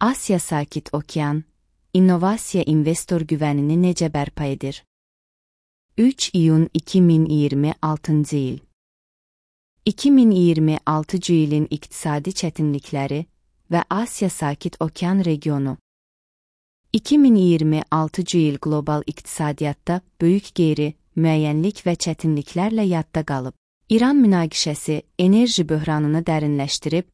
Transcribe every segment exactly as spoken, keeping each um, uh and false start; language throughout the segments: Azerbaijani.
Asiya Sakit Okean, innovasiya investor güvənini necə bərpa edir? üç iyun iki min iyirmi altıncı il. iki min iyirmi altıncı ilin iqtisadi çətinlikləri və Asiya Sakit Okean regionu. iki min iyirmi altıncı il qlobal iqtisadiyyatda böyük qeyri-müəyyənlik və çətinliklərlə yadda qalıb. İran münaqişəsi enerji böhranını dərinləşdirib,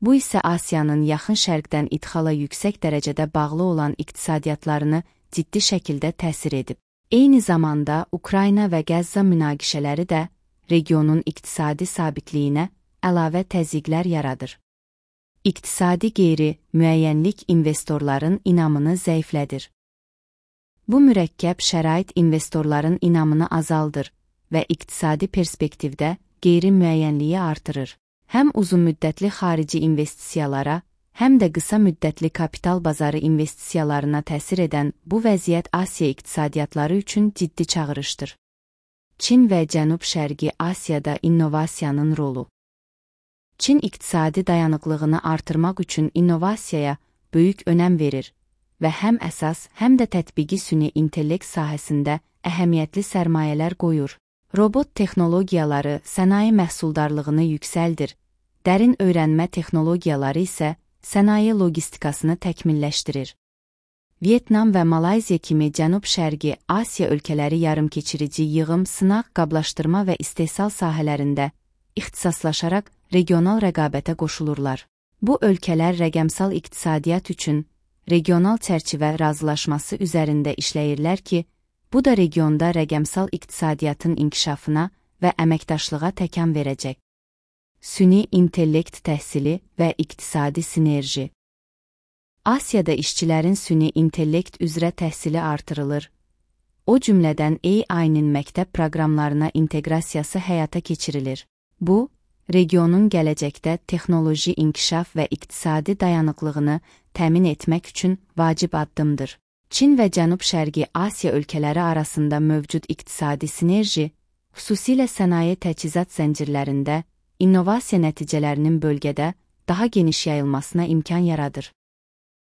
bu isə Asiyanın yaxın şərqdən idxala yüksək dərəcədə bağlı olan iqtisadiyyatlarını ciddi şəkildə təsir edib. Eyni zamanda Ukrayna və Qəzza münaqişələri də regionun iqtisadi sabitliyinə əlavə təzyiqlər yaradır. İqtisadi qeyri-müəyyənlik investorların inamını zəiflədir. Bu mürəkkəb şərait investorların inamını azaldır və iqtisadi perspektivdə qeyri-müəyyənliyi artırır. Həm uzunmüddətli xarici investisiyalara, həm də qısa müddətli kapital bazarı investisiyalarına təsir edən bu vəziyyət Asiya iqtisadiyyatları üçün ciddi çağırışdır. Çin və Cənub-Şərqi Asiyada innovasiyanın rolu. Çin iqtisadi dayanıqlığını artırmaq üçün innovasiyaya böyük önəm verir və həm əsas, həm də tətbiqi süni intellekt sahəsində əhəmiyyətli sərmayələr qoyur. Robot texnologiyaları sənaye məhsuldarlığını yüksəldir, dərin öyrənmə texnologiyaları isə sənaye logistikasını təkmilləşdirir. Vyetnam və Malayziya kimi Cənub-Şərqi Asiya ölkələri yarımkeçirici yığım, sınaq, qablaşdırma və istehsal sahələrində ixtisaslaşaraq regional rəqabətə qoşulurlar. Bu ölkələr rəqəmsal iqtisadiyyat üçün regional çərçivə razılaşması üzərində işləyirlər ki, bu da regionda rəqəmsal iqtisadiyyatın inkişafına və əməkdaşlığa təkan verəcək. Süni intellekt təhsili və iqtisadi sinerji. Asiyada işçilərin süni intellekt üzrə təhsili artırılır. O cümlədən A I-nin məktəb proqramlarına inteqrasiyası həyata keçirilir. Bu, regionun gələcəkdə texnoloji inkişaf və iqtisadi dayanıqlığını təmin etmək üçün vacib addımdır. Çin və Cənub-Şərqi Asiya ölkələri arasında mövcud iqtisadi sinerji, xüsusilə sənaye təchizat zəncirlərində, innovasiya nəticələrinin bölgədə daha geniş yayılmasına imkan yaradır.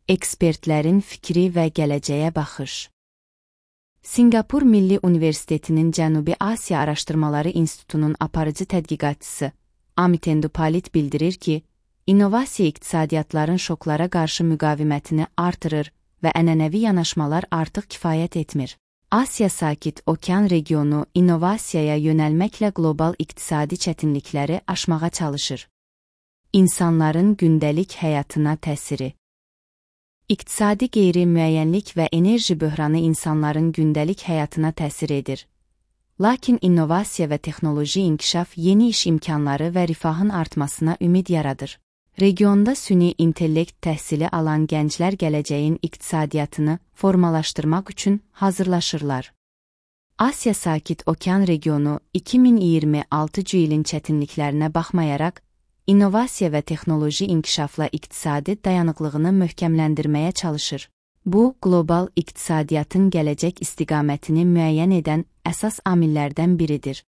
Ekspertlərin fikri və gələcəyə baxış. Sinqapur Milli Universitetinin Cənubi Asiya Araşdırmaları İnstitutunun aparıcı tədqiqatçısı Amit Endupalit bildirir ki, innovasiya iqtisadiyyatların şoklara qarşı müqavimətini artırır və ənənəvi yanaşmalar artıq kifayət etmir. Asiya Sakit Okean regionu innovasiyaya yönəlməklə qlobal iqtisadi çətinlikləri aşmağa çalışır. İnsanların gündəlik həyatına təsiri. İqtisadi qeyri-müəyyənlik və enerji böhranı insanların gündəlik həyatına təsir edir. Lakin innovasiya və texnoloji inkişaf yeni iş imkanları və rifahın artmasına ümid yaradır. Regionda süni intellekt təhsili alan gənclər gələcəyin iqtisadiyyatını formalaşdırmaq üçün hazırlaşırlar. Asiya Sakit Okean regionu iki min iyirmi altıncı ilin çətinliklərinə baxmayaraq, innovasiya və texnoloji inkişafla iqtisadi dayanıqlığını möhkəmləndirməyə çalışır. Bu, qlobal iqtisadiyyatın gələcək istiqamətini müəyyən edən əsas amillərdən biridir.